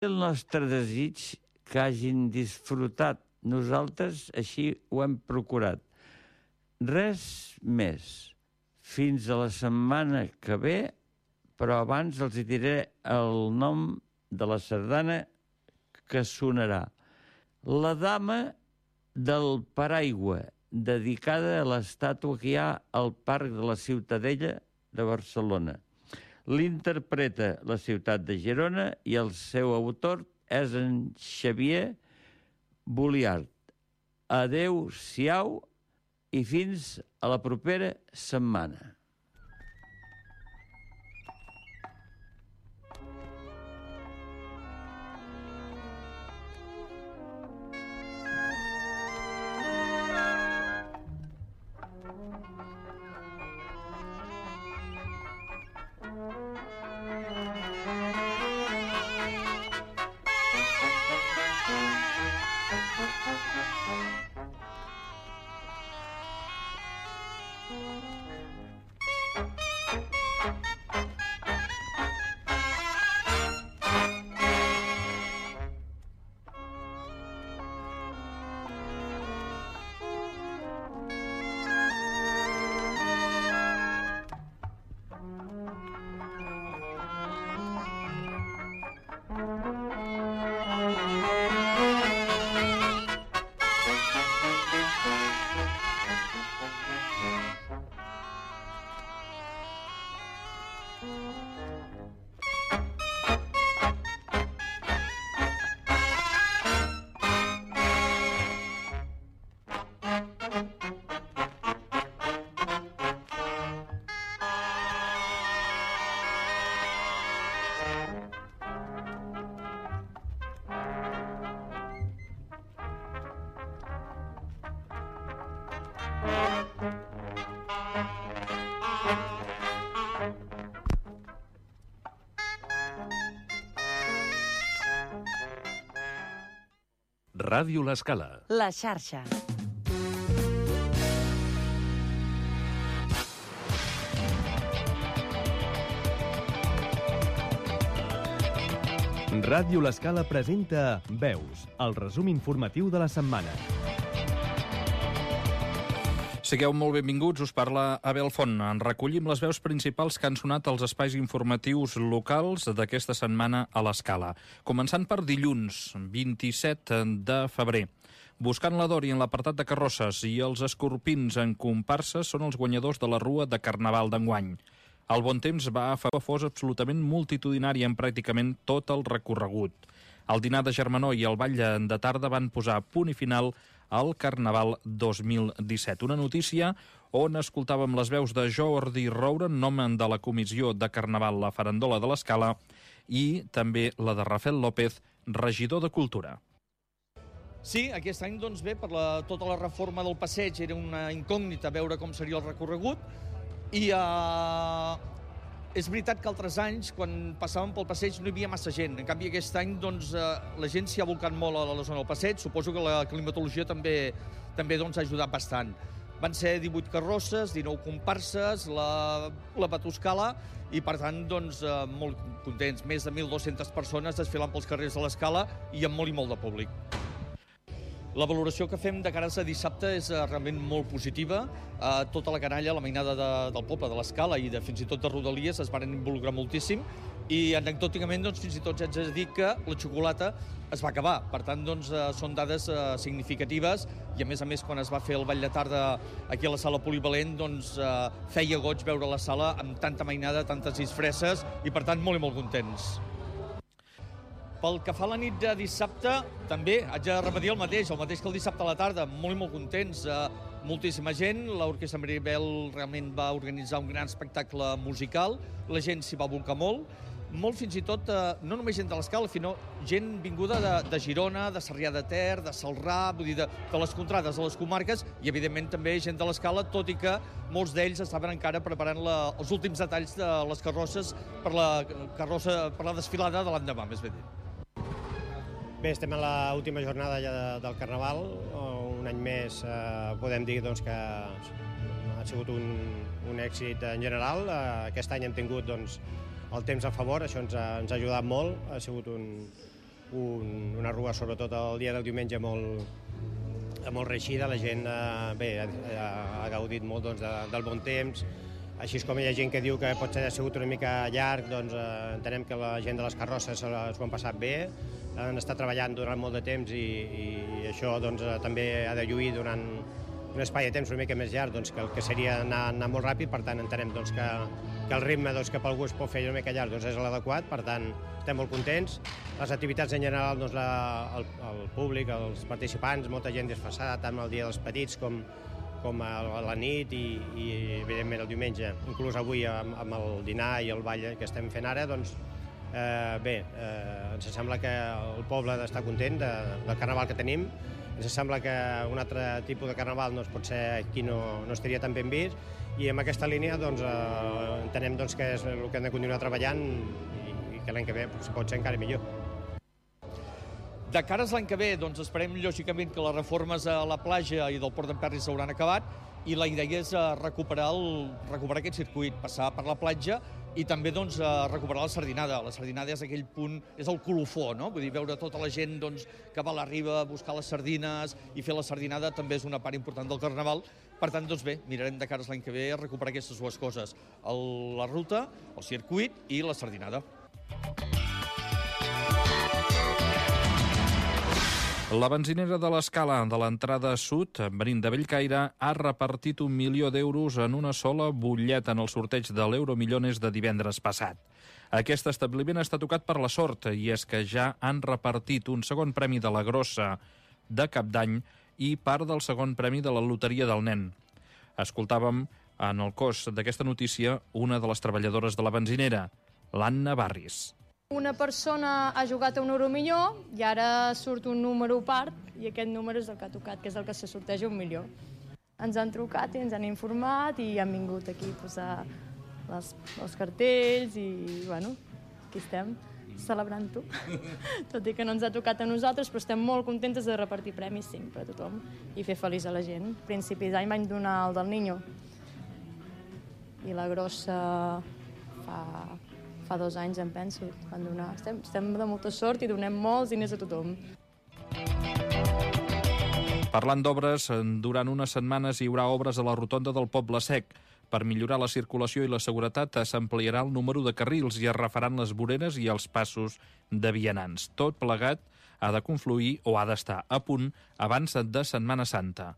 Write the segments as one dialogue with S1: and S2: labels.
S1: el nostre desig que hagin disfrutat. Nosaltres així ho hem procurat. Res més. Fins a la setmana que ve, però abans els hi diré el nom de la sardana que sonarà. La dama del paraigua, dedicada a l'estàtua que hi ha al Parc de la Ciutadella de Barcelona. L'interpreta la ciutat de Girona i el seu autor és en Xavier Boliart. Adéu-siau i fins a la propera setmana.
S2: Ràdio L'Escala.
S3: La xarxa.
S2: Ràdio L'Escala presenta Veus, el resum informatiu de la setmana.
S4: Sigueu molt benvinguts, us parla Abel Font. En recollim les veus principals que han sonat als espais informatius locals d'aquesta setmana a l'Escala. Començant per dilluns, 27 de febrer. Buscant la Dori en l'apartat de carrosses i els escorpins en comparsa són els guanyadors de la Rua de Carnaval d'enguany. El bon temps va fer que fos absolutament multitudinari en pràcticament tot el recorregut. El dinar de germanor i el ball de tarda van posar punt i final al Carnaval 2017. Una notícia on escoltàvem les veus de Jordi Roura, en nom de la Comissió de Carnaval La Farandola de l'Escala, i també la de Rafael López, regidor de Cultura.
S5: Sí, aquest any, doncs bé, per tota la reforma del passeig era una incògnita veure com seria el recorregut i és veritat que altres anys, quan passàvem pel passeig, no hi havia massa gent. En canvi, aquest any, doncs, la gent s'hi ha volcat molt a la zona del passeig. Suposo que la climatologia també doncs, ha ajudat bastant. Van ser 18 carrosses, 19 comparses, la Batuscala, i per tant, doncs, molt contents. Més de 1.200 persones desfilant pels carrers de l'Escala i amb molt i molt de públic. La valoració que fem de cara a dissabte és realment molt positiva. Tota la canalla, la mainada del poble, de l'Escala i fins i tot de Rodalies es van involucrar moltíssim i anecdòticament doncs, fins i tot haig de dir que la xocolata es va acabar. Per tant, doncs, són dades significatives i a més, quan es va fer el ball de tarda aquí a la sala polivalent, doncs, feia goig veure la sala amb tanta mainada, tantes disfresses i per tant molt i molt contents. Pel que fa a la nit de dissabte, també haig de repetir el mateix que el dissabte a la tarda, molt i molt contents, moltíssima gent, l'Orquestra Maribel realment va organitzar un gran espectacle musical, la gent s'hi va volcar molt fins i tot, no només gent de l'Escala, sinó gent vinguda de Girona, de Sarrià de Ter, de Celrà, vull dir, de les contrades, de les comarques, i evidentment també gent de l'Escala, tot i que molts d'ells estaven encara preparant els últims detalls de les carrosses per la desfilada de l'endemà, més ben dit.
S6: Bé, estem a l'última jornada ja del Carnaval, un any més podem dir doncs, que ha sigut un èxit en general. Aquest any hem tingut doncs, el temps a favor, això ens ha ajudat molt, ha sigut una rua, sobretot el dia del diumenge, molt reeixida. La gent ha gaudit molt del bon temps. Així com hi ha gent que diu que potser ha sigut una mica llarg, doncs entenem que la gent de les carrosses s'ho han passat bé, han estat treballant durant molt de temps i això doncs, també ha de lluir durant un espai de temps una mica més llarg, doncs, que el que seria anar molt ràpid. Per tant, entenem doncs, que el ritme que per algú es pot fer una mica llarg doncs, és l'adequat. Per tant, estem molt contents. Les activitats en general, doncs, el públic, els participants, molta gent disfressada, tant el dia dels petits com a la nit i evidentment el diumenge. Inclús avui amb el dinar i el ball que estem fent ara, doncs, ens sembla que el poble està content del carnaval que tenim. Ens sembla que un altre tipus de carnaval doncs, potser aquí no estaria tan ben vist, i amb aquesta línia doncs, entenem doncs, que és el que hem de continuar treballant i que l'any que ve pot ser encara millor.
S5: De cares l'any que ve, doncs esperem lògicament que les reformes a la platja i del Port d'Emperri s'hauran acabat, i la idea és recuperar aquest circuit, passar per la platja i també doncs, recuperar la sardinada. La sardinada és aquell punt, és el colofó, no? Vull dir, veure tota la gent doncs, que va a la riba a buscar les sardines i fer la sardinada també és una part important del carnaval. Per tant, doncs bé, mirarem de cares l'any que ve a recuperar aquestes dues coses, la ruta, el circuit i la sardinada.
S4: La benzinera de l'Escala de l'entrada sud, venint de Bellcaire, ha repartit 1 milió d'euros en una sola butlleta en el sorteig de l'Euromillones de divendres passat. Aquest establiment està tocat per la sort, i és que ja han repartit un segon premi de la grossa de Cap d'Any i part del segon premi de la loteria del nen. Escoltàvem en el cos d'aquesta notícia una de les treballadores de la benzinera, l'Anna Barris.
S3: Una persona ha jugat a un euromilló i ara surt un número part i aquest número és el que ha tocat, que és el que se sorteja 1 milió. Ens han trucat i ens han informat i han vingut aquí a posar els cartells i, bueno, aquí estem celebrant-ho. Tot i que no ens ha tocat a nosaltres, però estem molt contentes de repartir premis sempre a tothom i fer feliç a la gent. A principis d'any van donar el del Niño i la grossa fa 2 anys, em penso, van donar. Estem de molta sort i donem molts diners a tothom.
S4: Parlant d'obres, durant unes setmanes hi haurà obres a la rotonda del Poble Sec. Per millorar la circulació i la seguretat s'ampliarà el número de carrils i es refaran les voreres i els passos de vianants. Tot plegat ha de confluir o ha d'estar a punt abans de Setmana Santa.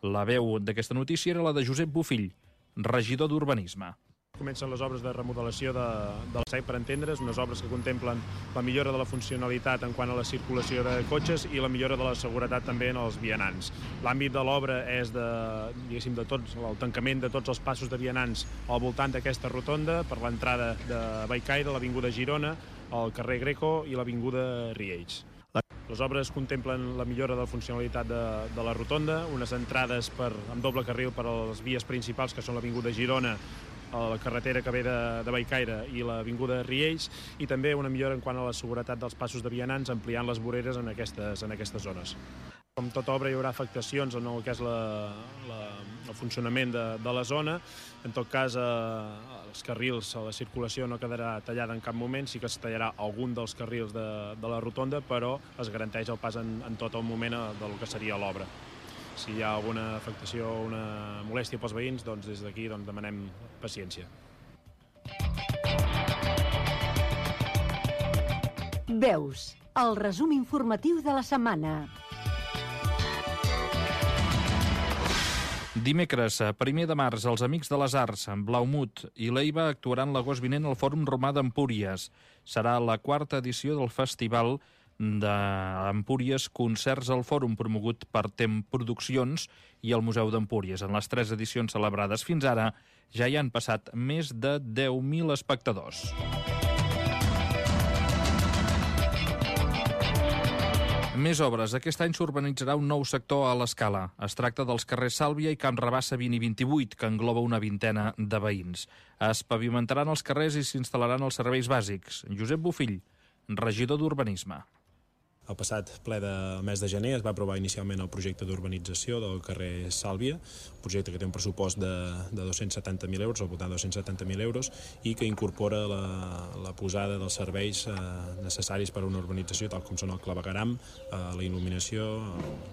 S4: La veu d'aquesta notícia era la de Josep Bofill, regidor d'Urbanisme.
S7: Comencen les obres de remodelació del SEC, per entendre's, unes obres que contemplen la millora de la funcionalitat en quant a la circulació de cotxes i la millora de la seguretat també en els vianants. L'àmbit de l'obra és el tancament de tots els passos de vianants al voltant d'aquesta rotonda, per l'entrada de Bellcaire, l'Avinguda Girona, el carrer Greco i l'Avinguda Riells. Les obres contemplen la millora de la funcionalitat de la rotonda, unes entrades amb doble carril per a les vies principals, que són l'Avinguda Girona, la carretera que ve de Bellcaire i l'Avinguda Riells, i també una millora en quant a la seguretat dels passos de vianants, ampliant les voreres en aquestes zones. Com tota obra hi haurà afectacions en el que és el funcionament de la zona. En tot cas, els carrils, la circulació no quedarà tallada en cap moment, sí que es tallarà algun dels carrils de la rotonda, però es garanteix el pas en tot el moment del que seria l'obra. Si hi ha alguna afectació o una molèstia pels veïns, doncs des d'aquí demanem paciència.
S8: Veus, el resum informatiu de la setmana.
S4: Dimecres, 1 de març, els Amics de les Arts, Blaumut i Leiva actuaran l'agost vinent al Fòrum Romà d'Empúries. Serà la 4ª edició del Festival d'Empúries Concerts al Fòrum, promogut per Tem Produccions i el Museu d'Empúries. En les 3 edicions celebrades fins ara ja hi han passat més de 10.000 espectadors. Més obres. Aquest any s'urbanitzarà un nou sector a l'Escala. Es tracta dels carrers Sàlvia i Camp Rabassa 20 i 28, que engloba una vintena de veïns. Es pavimentaran els carrers i s'instal·laran els serveis bàsics. Josep Bofill, regidor d'Urbanisme.
S7: El passat ple del mes de gener es va aprovar inicialment el projecte d'urbanització del carrer Sàlvia, un projecte que té un pressupost de 270.000 euros, al voltant de 270.000 euros, i que incorpora la posada dels serveis necessaris per a una urbanització, tal com són el clavegueram, la il·luminació,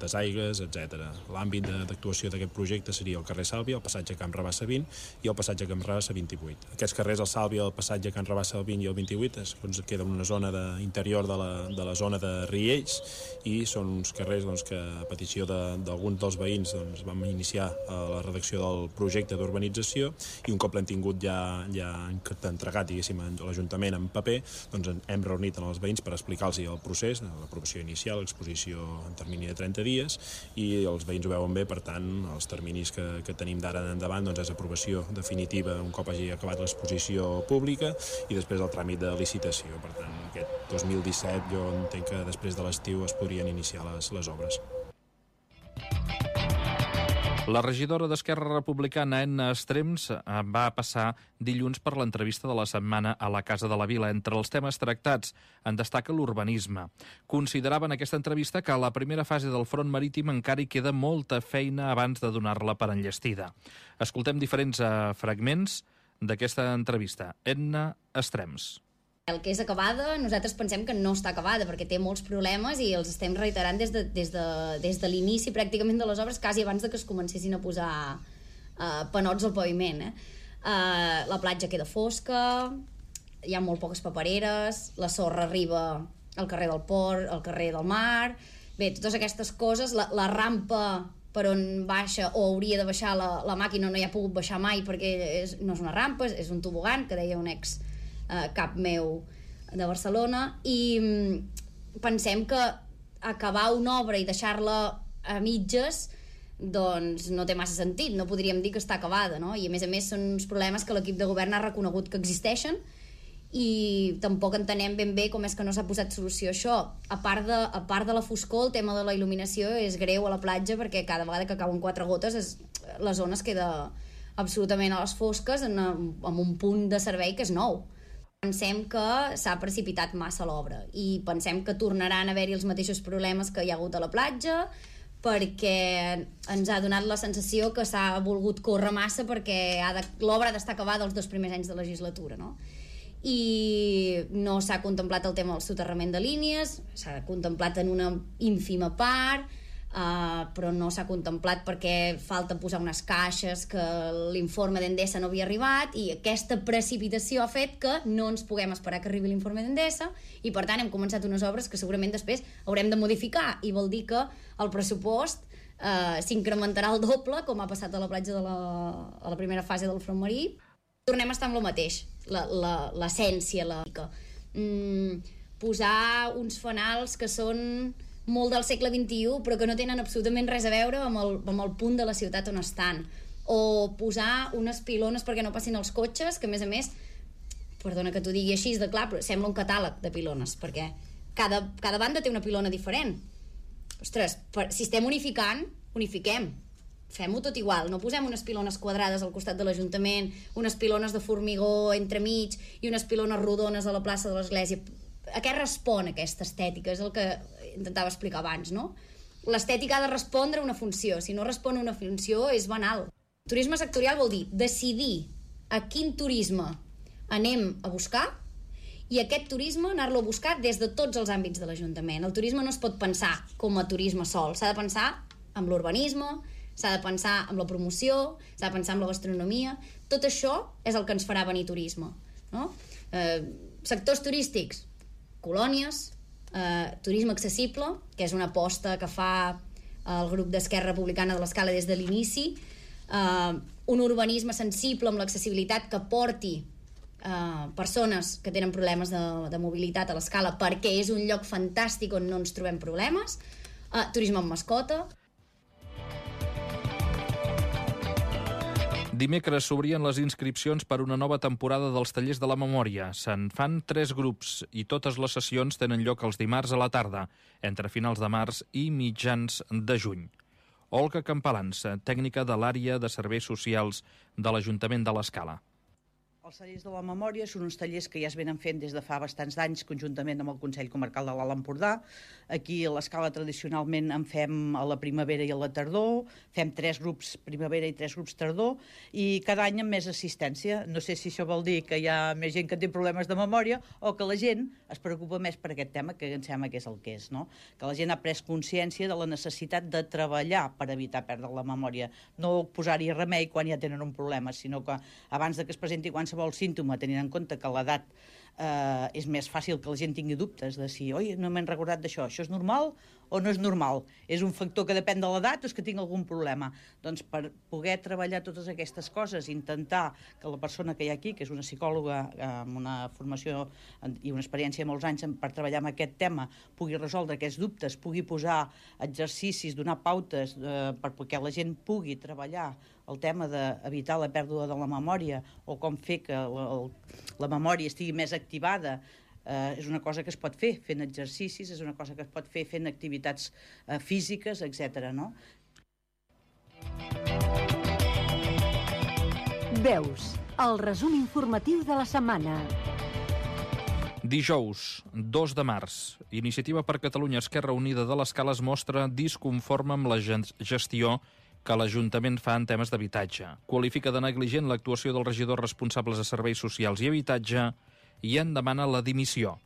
S7: desaigues, etc. L'àmbit d'actuació d'aquest projecte seria el carrer Sàlvia, el passatge Camp Rabassa 20 i el passatge Camp Rabassa 28. Aquests carrers, el Sàlvia, el passatge Camp Rabassa 20 i el 28, queda en una zona interior de la zona de Riells, i són uns carrers que a petició d'alguns dels veïns vam iniciar la redacció del projecte d'urbanització, i un cop l'hem tingut ja entregat, diguéssim, a l'Ajuntament en paper, hem reunit els veïns per explicar-los el procés, l'aprovació inicial, l'exposició en termini de 30 dies, i els veïns ho veuen bé. Per tant, els terminis que tenim d'ara en endavant és aprovació definitiva un cop hagi acabat l'exposició pública i després el tràmit de licitació. Per tant, aquest 2017 jo entenc que després de l'estiu es podrien iniciar les obres.
S4: La regidora d'Esquerra Republicana, Edna Estrems, va passar dilluns per l'entrevista de la setmana a la Casa de la Vila. Entre els temes tractats en destaca l'urbanisme. Considerava en aquesta entrevista que a la primera fase del front marítim encara hi queda molta feina abans de donar-la per enllestida. Escoltem diferents fragments d'aquesta entrevista. Edna Estrems.
S9: El que és acabada, nosaltres pensem que no està acabada, perquè té molts problemes i els estem reiterant des de l'inici pràcticament de les obres, quasi abans de que es comencessin a posar panots al paviment. La platja queda fosca, hi ha molt poques papereres, la sorra arriba al carrer del port, al carrer del mar. Bé, totes aquestes coses, la rampa per on baixa o hauria de baixar la màquina no hi ha pogut baixar mai perquè no és una rampa, és un tobogan, que deia un ex cap meu de Barcelona, i pensem que acabar una obra i deixar-la a mitges doncs no té massa sentit, no podríem dir que està acabada, no? I a més són uns problemes que l'equip de govern ha reconegut que existeixen i tampoc entenem ben bé com és que no s'ha posat solució a això. A part de la foscor, el tema de la il·luminació és greu a la platja, perquè cada vegada que cauen 4 gotes la zona es queda absolutament a les fosques amb un punt de servei que és nou. Pensem que s'ha precipitat massa l'obra i pensem que tornaran a haver-hi els mateixos problemes que hi ha hagut a la platja, perquè ens ha donat la sensació que s'ha volgut córrer massa perquè l'obra ha d'estar acabada els 2 primers anys de legislatura, no? I no s'ha contemplat el tema del soterrament de línies, s'ha contemplat en una ínfima part, però no s'ha contemplat perquè falta posar unes caixes, que l'informe d'Endesa no havia arribat, i aquesta precipitació ha fet que no ens puguem esperar que arribi l'informe d'Endesa, i per tant hem començat unes obres que segurament després haurem de modificar, i vol dir que el pressupost s'incrementarà el doble, com ha passat a la platja a la primera fase del front marí. Tornem a estar amb el mateix, l'essència, posar uns fanals que són molt del segle XXI, però que no tenen absolutament res a veure amb el punt de la ciutat on estan. O posar unes pilones perquè no passin els cotxes, que a més, perdona que t'ho digui així de clar, però sembla un catàleg de pilones, perquè cada banda té una pilona diferent. Ostres, si estem unificant, unifiquem. Fem-ho tot igual, no posem unes pilones quadrades al costat de l'Ajuntament, unes pilones de formigó entremig i unes pilones rodones a la plaça de l'Església. A què respon aquesta estètica? És el que intentava explicar abans, no? L'estètica ha de respondre a una funció. Si no respon a una funció, és banal. Turisme sectorial vol dir decidir a quin turisme anem a buscar i aquest turisme anar-lo a buscar des de tots els àmbits de l'Ajuntament. El turisme no es pot pensar com a turisme sol. S'ha de pensar amb l'urbanisme, s'ha de pensar amb la promoció, s'ha de pensar amb la gastronomia. Tot això és el que ens farà venir turisme, no? Sectors turístics, colònies, turisme accessible, que és una aposta que fa el grup d'Esquerra Republicana de l'Escala des de l'inici, un urbanisme sensible amb l'accessibilitat que porti persones que tenen problemes de mobilitat a l'Escala, perquè és un lloc fantàstic on no ens trobem problemes, turisme amb mascota.
S4: Dimecres s'obrien les inscripcions per una nova temporada dels Tallers de la Memòria. Se'n fan 3 grups i totes les sessions tenen lloc els dimarts a la tarda, entre finals de març i mitjans de juny. Olga Campalans, tècnica de l'àrea de serveis socials de l'Ajuntament de l'Escala.
S10: Els tallers de la memòria són uns tallers que ja es venen fent des de fa bastants anys conjuntament amb el Consell Comarcal de l'Alt Empordà. Aquí a l'escala tradicionalment en fem a la primavera i a la tardor, fem 3 grups primavera i 3 grups tardor, i cada any amb més assistència. No sé si això vol dir que hi ha més gent que té problemes de memòria o que la gent es preocupa més per aquest tema, que em sembla que és el que és, no? Que la gent ha pres consciència de la necessitat de treballar per evitar perdre la memòria, no posar-hi remei quan ja tenen un problema, sinó que abans de que es presenti qualsevol símptoma, tenint en compte que l'edat és més fàcil que la gent tingui dubtes de si, oi, no m'he recordat d'això, això és normal o no és normal? És un factor que depèn de l'edat o és que tinc algun problema? Doncs per poder treballar totes aquestes coses, intentar que la persona que hi ha aquí, que és una psicòloga amb una formació i una experiència de molts anys per treballar amb aquest tema, pugui resoldre aquests dubtes, pugui posar exercicis, donar pautes perquè la gent pugui treballar el tema d'evitar la pèrdua de la memòria o com fer que la memòria estigui més activada, és una cosa que es pot fer fent exercicis, és una cosa que es pot fer fent activitats físiques, etc. No?
S8: Veus, el resum informatiu de la setmana.
S4: Dijous, 2 de març, Iniciativa per Catalunya Esquerra Unida de l'Escala es mostra disconforme amb la gestió que l'Ajuntament fa en temes d'habitatge. Qualifica de negligent l'actuació dels regidors responsables de serveis socials i habitatge i en demana la dimissió.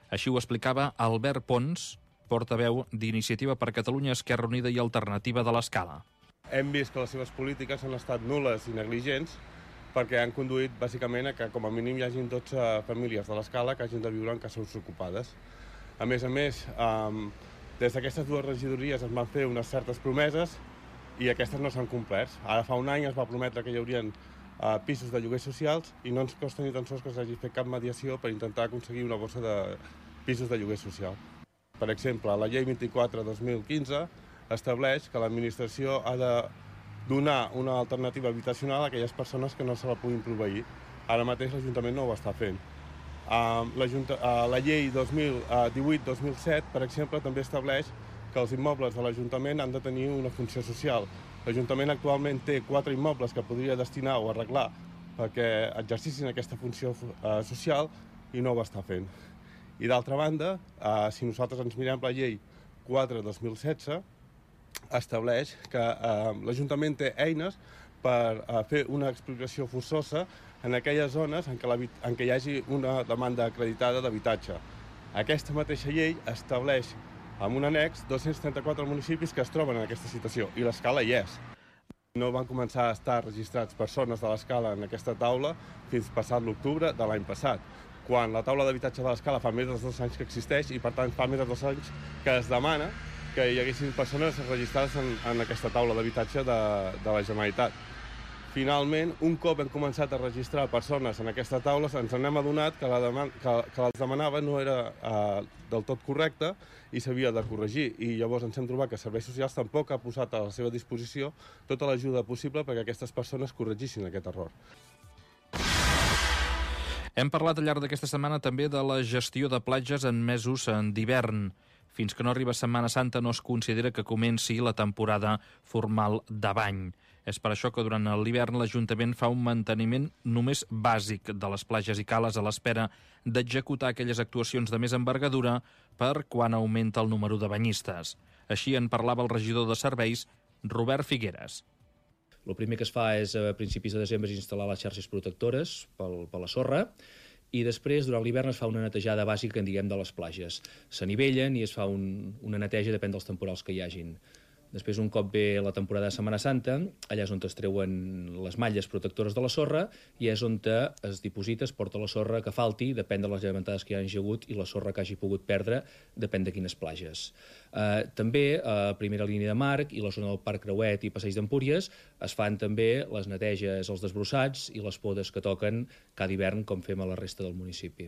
S4: Així ho explicava Albert Pons, portaveu d'Iniciativa per Catalunya Esquerra Unida i Alternativa de l'Escala.
S11: Hem vist que les seves polítiques han estat nul·les i negligents perquè han conduït bàsicament a que com a mínim hi hagin 12 famílies de l'Escala que hagin de viure en cases ocupades. A més, des d'aquestes 2 regidories es van fer unes certes promeses i aquestes no s'han complert. Ara fa un any es va prometre que hi haurien pisos de lloguers socials i no ens costa ni tan sols que s'hagi fet cap mediació per intentar aconseguir una bossa de pisos de lloguer social. Per exemple, la llei 24/2015 estableix que l'administració ha de donar una alternativa habitacional a aquelles persones que no se la puguin proveir. Ara mateix l'Ajuntament no ho està fent. La llei 2018-2007, per exemple, també estableix que els immobles de l'Ajuntament han de tenir una funció social. L'Ajuntament actualment té 4 immobles que podria destinar o arreglar perquè exercissin aquesta funció social i no ho està fent. I d'altra banda, si nosaltres ens mirem la llei 4/2016, estableix que l'Ajuntament té eines per fer una expropiació forçosa en aquelles zones en què hi hagi una demanda acreditada d'habitatge. Aquesta mateixa llei estableix amb un annex 234 municipis que es troben en aquesta situació, i l'Escala hi és. No van començar a estar registrats persones de l'Escala en aquesta taula fins passat l'octubre de l'any passat, quan la taula d'habitatge de l'Escala fa més de 2 anys que existeix i, per tant, fa més de 2 anys que es demana que hi haguessin persones registrades en aquesta taula d'habitatge de la Generalitat. Finalment, un cop hem començat a registrar persones en aquesta taula, ens n'hem adonat que les demanava no era del tot correcta i s'havia de corregir. I llavors ens hem trobat que Serveis Socials tampoc ha posat a la seva disposició tota l'ajuda possible perquè aquestes persones corregissin aquest error.
S4: Hem parlat al llarg d'aquesta setmana també de la gestió de platges en mesos d'hivern. Fins que no arriba Setmana Santa no es considera que comenci la temporada formal de bany. És per això que durant l'hivern l'Ajuntament fa un manteniment només bàsic de les platges i cales a l'espera d'executar aquelles actuacions de més envergadura per quan augmenta el número de banyistes. Així en parlava el regidor de Serveis, Robert Figueres.
S12: El primer que es fa és a principis de desembre instal·lar les xarxes protectores per la sorra i després, durant l'hivern, es fa una netejada bàsica, en diguem, de les platges. S'anivellen i es fa una neteja, depèn dels temporals que hi hagin. Després, un cop ve la temporada de Setmana Santa, allà és on es treuen les malles protectores de la sorra i és on es diposita, es porta la sorra que falti, depèn de les llevantades que hi hagi hagut i la sorra que hagi pogut perdre, depèn de quines platges. També, a primera línia de Marc i la zona del Parc Creuet i Passeig d'Empúries es fan també les neteges, els desbrossats i les podes que toquen cada hivern, com fem a la resta del municipi.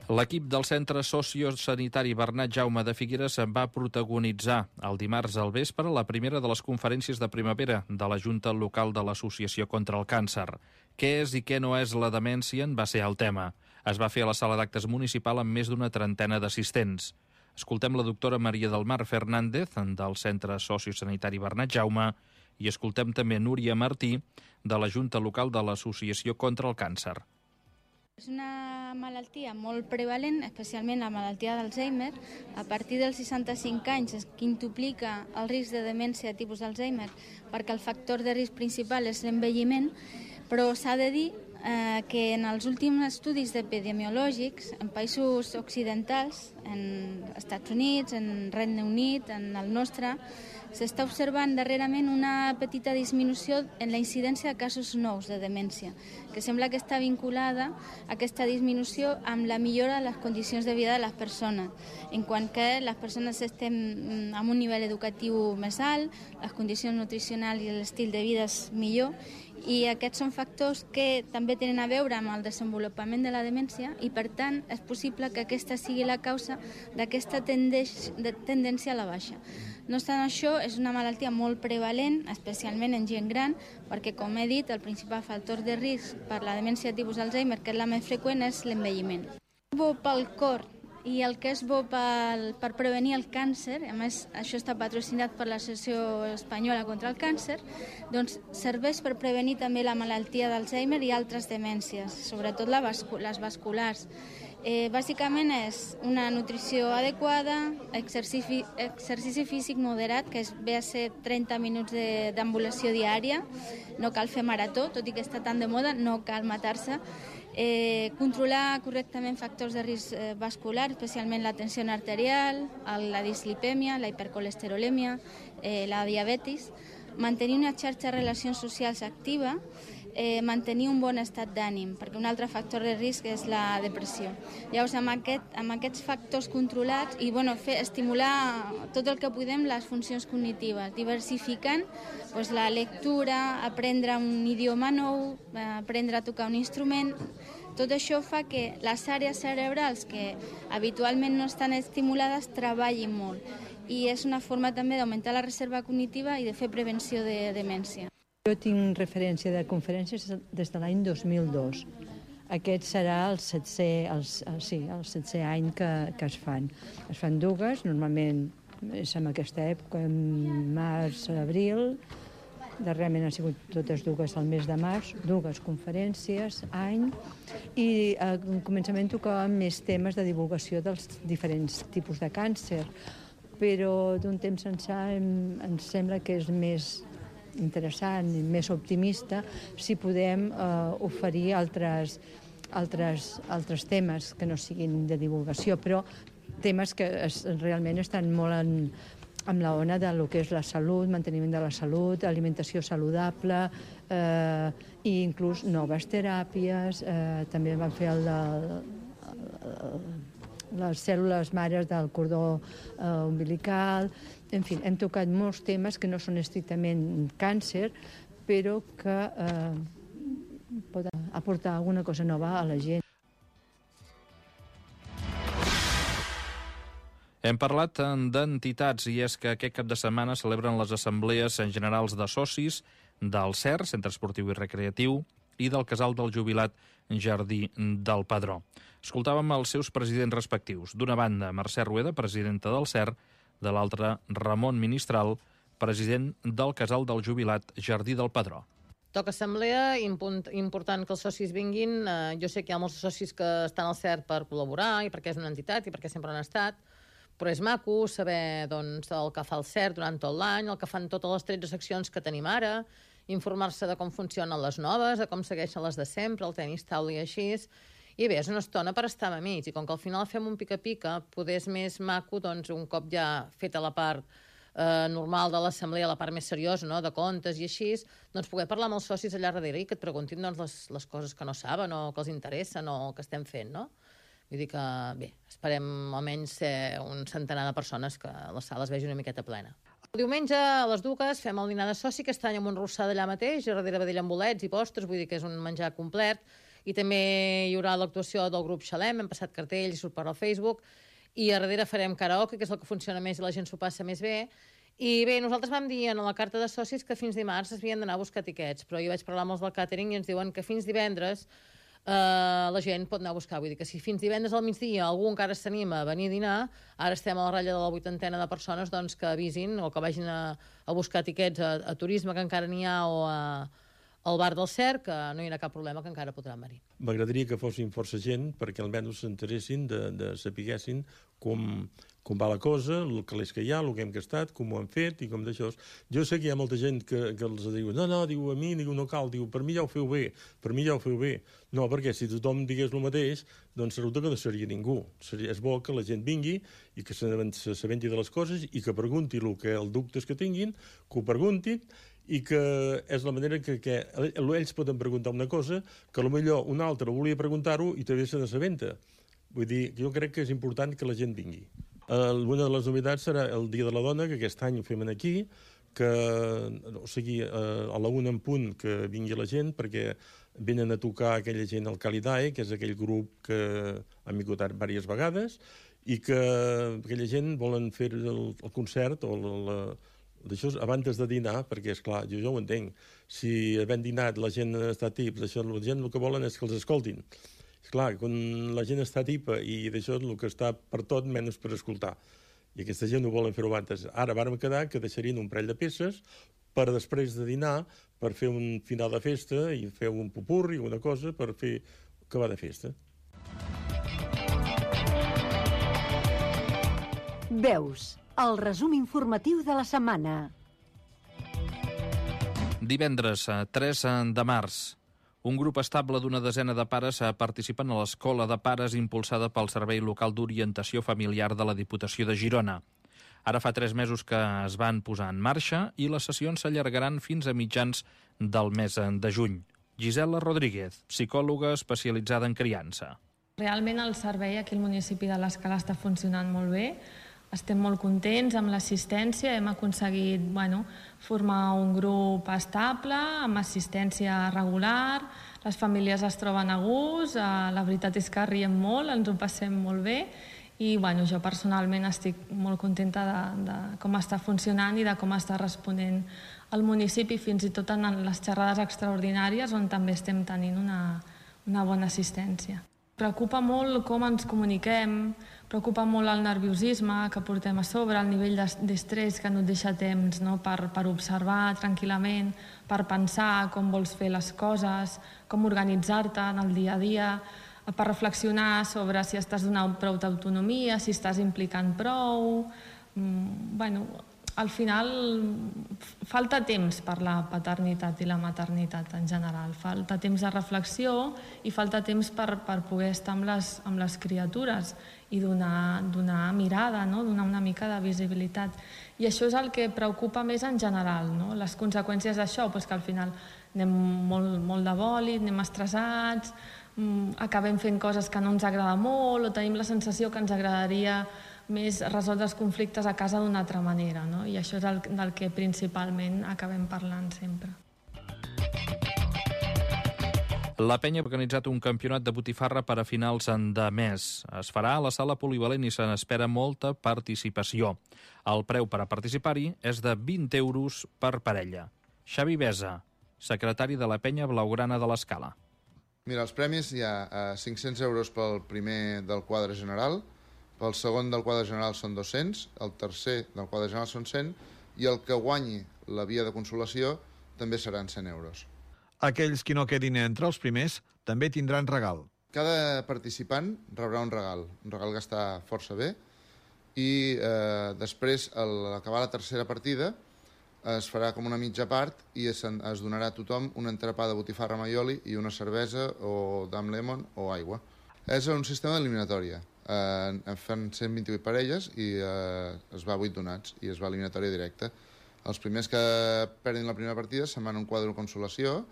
S4: L'equip del Centre Sociosanitari Bernat Jaume de Figueres va protagonitzar el dimarts al vespre la primera de les conferències de primavera de la Junta Local de l'Associació contra el Càncer. Què és i què no és la demència va ser el tema. Es va fer a la sala d'actes municipal amb més d'una trentena d'assistents. Escoltem la doctora Maria del Mar Fernández, del Centre Sociosanitari Bernat Jaume, i escoltem també Núria Martí, de la Junta Local de l'Associació contra el Càncer.
S13: És una malaltia molt prevalent, especialment la malaltia d'Alzheimer. A partir dels 65 anys es quintuplica el risc de demència de tipus Alzheimer perquè el factor de risc principal és l'envelliment, però s'ha de dir que en els últims estudis epidemiològics en països occidentals, en Estats Units, en Regne Unit, en el nostre, s'està observant darrerament una petita disminució en la incidència de casos nous de demència, que sembla que està vinculada a aquesta disminució amb la millora de les condicions de vida de les persones, en quant que les persones estem amb un nivell educatiu més alt, les condicions nutricionals i l'estil de vida és millor, i aquests són factors que també tenen a veure amb el desenvolupament de la demència i, per tant, és possible que aquesta sigui la causa d'aquesta tendència a la baixa. No obstant això, és una malaltia molt prevalent, especialment en gent gran, perquè, com he dit, el principal factor de risc per la demència de tipus Alzheimer, que és la més freqüent, és l'envelliment. Bo pel cor i el que és bo per prevenir el càncer, a més això està patrocinat per l'Associació Espanyola contra el Càncer, doncs serveix per prevenir també la malaltia d'Alzheimer i altres demències, sobretot les vasculars. Bàsicament és una nutrició adequada, exercici físic moderat, que ve a ser 30 minuts d'ambulació diària, no cal fer marató, tot i que està tan de moda, no cal matar-se, controlar correctament factors de risc vascular, especialment la tensió arterial, la dislipèmia, la hipercolesterolèmia, la diabetis, mantenir una xarxa de relacions socials activa, mantenir un bon estat d'ànim, perquè un altre factor de risc és la depressió. Llavors, amb aquests factors controlats i estimular tot el que podem les funcions cognitives, diversificant la lectura, aprendre un idioma nou, aprendre a tocar un instrument. Tot això fa que les àrees cerebrals que habitualment no estan estimulades treballin molt, i és una forma també d'augmentar la reserva cognitiva i de fer prevenció de demència.
S14: Jo tinc referència de conferències des de l'any 2002. Aquest serà el 7è any que es fan. Es fan dues, normalment és en aquesta època, en març, abril. Darrerament han sigut totes dues al mes de març, dues conferències, any, i al començament tocàvem més temes de divulgació dels diferents tipus de càncer, però d'un temps ençà ens sembla que és més interessant i més optimista si podem oferir altres temes que no siguin de divulgació, però temes que realment estan molt amb la ona de lo que és la salut, manteniment de la salut, alimentació saludable i inclús noves teràpies. També van fer les cèl·lules mares del cordó umbilical. En fi, hem tocat molts temes que no són estrictament càncer, però que poden aportar alguna cosa nova a la gent.
S4: Hem parlat d'entitats i és que aquest cap de setmana celebren les assemblees generals de socis del CER, Centre Esportiu i Recreatiu, i del Casal del Jubilat Jardí del Padró. Escoltàvem els seus presidents respectius. D'una banda, Mercè Rueda, presidenta del CER, de l'altra, Ramon Ministral, president del Casal del Jubilat Jardí del Padró.
S15: Toca assemblea, important que els socis vinguin. Jo sé que hi ha molts socis que estan al CER per col·laborar i perquè és una entitat i perquè sempre han estat, però és maco saber el que fa el CER durant tot l'any, el que fan totes les 13 seccions que tenim ara, informar-se de com funcionen les noves, de com segueixen les de sempre, el tenis taula i així. I bé, és una estona per estar amb amics, i com que al final fem un pica-pica, poder és més maco, un cop ja feta la part normal de l'assemblea, la part més seriosa, de comptes i així, poder parlar amb els socis allà darrere i que et preguntin les coses que no saben o que els interessen o que estem fent, no? Vull dir que, bé, esperem almenys ser un centenar de persones que la sala es vegi una miqueta plena. El diumenge a les 2 fem el dinar de soci, que està amb un rossar d'allà mateix, a darrere vedella amb bolets i postres, vull dir que és un menjar complet, i també hi haurà l'actuació del grup Xalem, hem passat cartells i surt per al Facebook, i a darrere farem karaoke, que és el que funciona més i la gent s'ho passa més bé. I bé, nosaltres vam dir en la carta de socis que fins dimarts es havien d'anar a buscar tiquets, però jo vaig parlar amb els del càtering i ens diuen que fins divendres la gent pot anar a buscar. Vull dir que si fins divendres al migdia algú encara s'anima a venir a dinar, ara estem a la ratlla de la 80ena de persones que avisin o que vagin a buscar tiquets a turisme, que encara n'hi ha, o al bar del CERC, que no hi ha cap problema, que encara podran venir.
S16: M'agradaria que fossin força gent perquè almenys s'interessin de sapiguessin com va la cosa, el calés que hi ha, el que hem gastat, com ho han fet i com d'això. Jo sé que hi ha molta gent que els diu diu, a mi no cal, diu, per mi ja ho feu bé, No, perquè si tothom digués el mateix, doncs resulta que no seria ningú. És bo que la gent vingui i que s'assabenti de les coses i que pregunti els dubtes que tinguin, que ho preguntin, i que és la manera que ells poden preguntar una cosa que potser un altre volia preguntar-ho i també se n'assabenta. Vull dir, jo crec que és important que la gent vingui. Una de les novetats serà el Dia de la Dona, que aquest any ho fem aquí, o sigui, a la 1 en punt que vingui la gent, perquè venen a tocar aquella gent al Calidae, que és aquell grup que han vingut diverses vegades, i que aquella gent volen fer el concert o d'això abans de dinar, perquè, esclar, jo ho entenc. Si havent dinat la gent està tips, la gent el que volen és que els escoltin. Esclar, quan la gent està tipa i d'això és el que està per tot menys per escoltar. I aquesta gent no volen fer-ho abans. Ara vàrem quedar que deixarien un parell de peces per després de dinar, per fer un final de festa i fer un popurri, una cosa, per fer acabar de festa.
S8: Veus, el resum informatiu de la setmana.
S4: Divendres, 3 de març. Un grup estable d'una desena de pares participen a l'Escola de Pares impulsada pel Servei Local d'Orientació Familiar de la Diputació de Girona. Ara fa 3 mesos que es van posar en marxa i les sessions s'allargaran fins a mitjans del mes de juny. Gisela Rodríguez, psicòloga especialitzada en criança.
S17: Realment el servei aquí al municipi de l'Escala està funcionant molt bé. Estem molt contents amb l'assistència, hem aconseguit formar un grup estable, amb assistència regular, les famílies es troben a gust, la veritat és que riem molt, ens ho passem molt bé i jo personalment estic molt contenta de com està funcionant i de com està responent el municipi, fins i tot en les xerrades extraordinàries on també estem tenint una bona assistència. Preocupa molt com ens comuniquem, preocupa molt el nerviosisme que portem a sobre, el nivell d'estrès que no et deixa temps per observar tranquil·lament, per pensar com vols fer les coses, com organitzar-te en el dia a dia, per reflexionar sobre si estàs donant prou d'autonomia, si estàs implicant prou. Al final falta temps per la paternitat i la maternitat en general. Falta temps de reflexió i falta temps per poder estar amb les criatures i donar mirada, donar una mica de visibilitat. I això és el que preocupa més en general, les conseqüències d'això, que al final anem molt de bòlit, anem estressats, acabem fent coses que no ens agrada molt o tenim la sensació que ens agradaria més resoldre els conflictes a casa d'una altra manera, i això és del que principalment acabem parlant sempre.
S4: La Penya ha organitzat un campionat de botifarra per a finals de mes. Es farà a la sala polivalent i se n'espera molta participació. El preu per a participar-hi és de 20 euros per parella. Xavi Besa, secretari de la Penya Blaugrana de l'Escala.
S18: Mira, els premis hi ha 500 euros pel primer del quadre general, pel segon del quadre general són 200, el tercer del quadre general són 100 i el que guanyi la via de consolació també seran 100 euros.
S19: Aquells qui no quedin entre els primers també tindran regal.
S18: Cada participant rebrà un regal que està força bé i després, a l'acabar la tercera partida, es farà com una mitja part i es donarà a tothom un entrepà de botifarra amb aioli i una cervesa o d'am lemon o aigua. És un sistema d'eliminatòria. Fan 128 parelles i es va a 8 donats i es va a eliminatòria directa. Els primers que perdin la primera partida se'n van a un quadre de consolació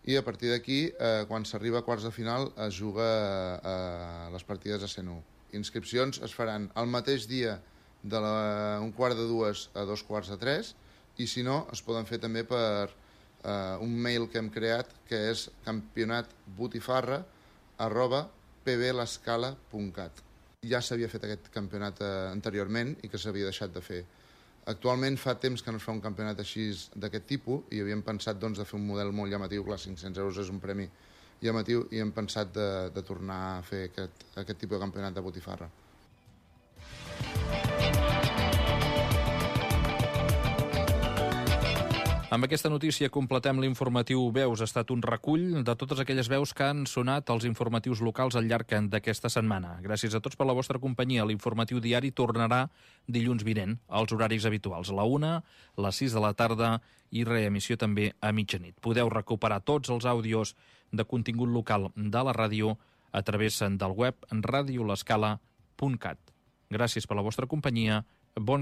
S18: i a partir d'aquí, quan s'arriba a quarts de final, es juga a les partides a 101. Inscripcions es faran el mateix dia d'un quart de 2 a 2 quarts de 3 i si no, es poden fer també per un mail que hem creat que és campionatbotifarra@pblescala.cat. Ja s'havia fet aquest campionat anteriorment i que s'havia deixat de fer. Actualment fa temps que no es fa un campionat així d'aquest tipus i havíem pensat de fer un model molt llamatiu. Clar, 500 euros és un premi llamatiu i hem pensat de tornar a fer aquest tipus de campionat de botifarra.
S4: Amb aquesta notícia completem l'informatiu Veus. Ha estat un recull de totes aquelles veus que han sonat als informatius locals al llarg d'aquesta setmana. Gràcies a tots per la vostra companyia. L'informatiu diari tornarà dilluns vinent, als horaris habituals, a la 1, les 6 de la tarda i reemissió també a mitjanit. Podeu recuperar tots els àudios de contingut local de la ràdio a través del web radiolescala.cat. Gràcies per la vostra companyia. Bon cap